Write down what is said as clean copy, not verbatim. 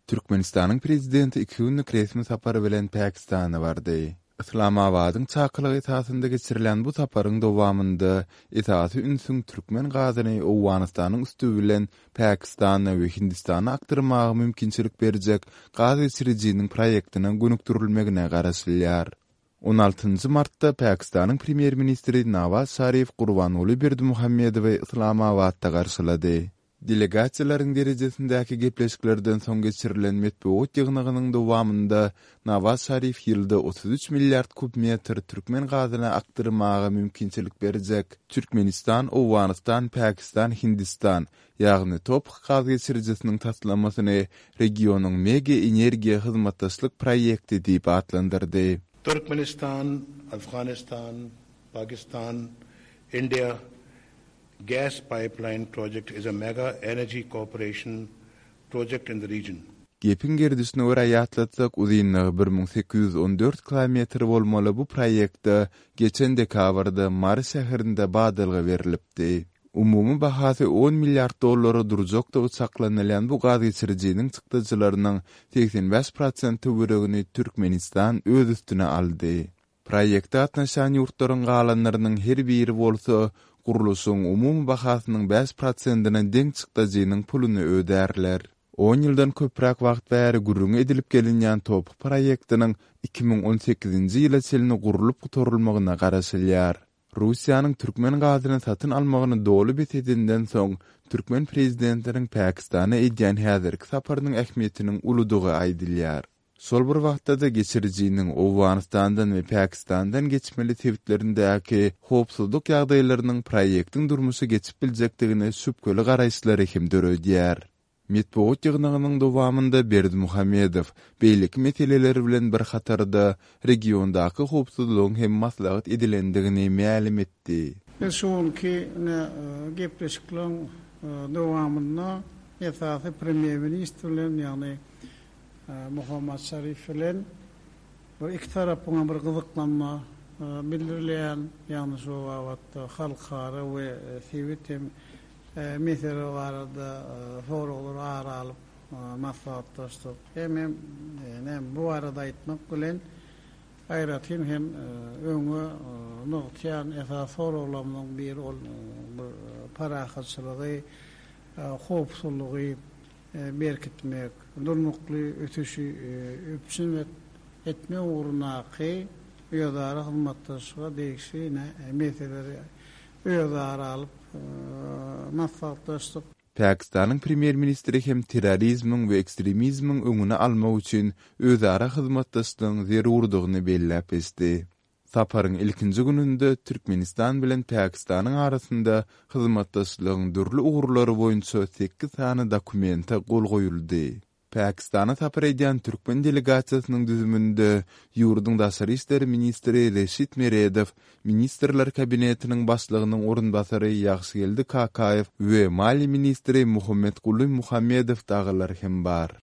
Türkmenistanyň Prezidenti iki günlük resmi sapar bilen Pakistana bardy. Yslamabadyň çakylygy esasynda geçirilen bu saparyň dowamynda esasy ünsüň türkmen gazyny Owganystanyň üsti bilen Pakistana we Hindistana akdyrmaga mümkinçilik berjek gaz geçirijiniň proýektine gönükdirilmegine garaşylýar. On altynjy martda Pakistanyň Premýer-ministri Nawaz Şarif Gurbanguly Berdimuhamedowy Yslamabatda garşylady. Delegasiýalaryň derejesindäki gepleşiklerden soň geçirilen metbugat ýygnagynyň dowamynda Nawaz Şarif ýylda 33 milliard kub metr türkmen gazyny akdyrmaga mümkinçilik berjek Türkmenistan, Owganystan, Pakistan, Hindistan, ýagny TOPH gaz geçirijisiniň taslamasyny regionyň mega energiýa hyzmatdaşlyk proýekti diýip atlandyrdy. Türkmenistan, Afghanistan, Pakistan, India Gas pipeline project is a mega energy cooperation project in the region. Gepiň gerdişine görä ýatlatsak, uzynlygy 1814 kilometr bolmaly bu proýekte geçen dekabrda Mary şäherinde badalga berlipdi. Umumy bahasy on milliard dollara durjakdygy çaklanylýan bu gazgeçirijiniň çykdajylarynyň 85 prosent töweregini Türkmenistan öz üstüne aldy. Proýekte gatnaşýan ýurtlaryň galanlarynyň her biri bolsa gurluşygyň umumy bahasynyň bäş prosentine deň çykdajynyň puluny ödärler. On ýyldan köpräk wagt bäri gürrüňi edilip gelinýän TOPH proýektiniň 2018-nji ýyla çenli gurlup gutarylmagyna garaşylýar. Russiýanyň türkmen gazyny satyn almagyny doly bes edenden soň, türkmen prezidentiniň Pakistana edýän häzirki saparynyň ähmiýetiniň uludygy aýdylýar. Şol bir wagtda-da geçirijiniň Owganystandan we Pakistandan geçmeli sebitlerindäki howpsuzlyk ýagdaýlarynyň proýektiň durmuşa geçip biljekdigine şübheli garaýyşlary hem döredýär. Metbugat ýygnagynyň dowamynda Berdimuhamedow beýleki meseleler bilen bir hatarda regiondaky howpsuzlygyň hem maslahat edilendigini mälim etdi. Biz şu günki ine gepleşikleriň dowamynda esasy premýer-ministr bilen, ýagny Muhammad Şarif bilen bir iki tarapyňam bir gyzyklanma bildirilýän, ýagny şu babatda halkara we sebit hem mesele barada soraglary ara alyp maslahatlaşdyk. Hemem näme bu barada aýtmak bilen aýratyn hem öňe nygtaýan esasy soraglarymyzyň biri ol bir parahatçylygy, howpsuzlygy berkitmek, durnukly ösüşi üpjün etmek ugrundaky özara hyzmatdaşlyga degişli meseleleri özara alyp maslahatlaşdyk. Pakistanyň Premýer-ministri hem terrorizmiň we ekstremizmiň öňüni almak üçin özara hyzmatdaşlygyň zerurdygyny belläp geçdi. Saparyň ilkinji gününde Türkmenistan bilen Pakistanyň arasynda hyzmatdaşlygyň dürli ugurlary boýunça sekiz sany dokumente gol goýuldy. Pakistana sapar edýän türkmen delegasiýasynyň düzüminde ýurduň daşary işler ministri Reşit Meredow, Ministrler Kabinetiniň Başlygynyň orunbasary Ýagşygeldi Kakaýew we maliýe ministri Muhammetguly Muhammedow dagylar hem bar.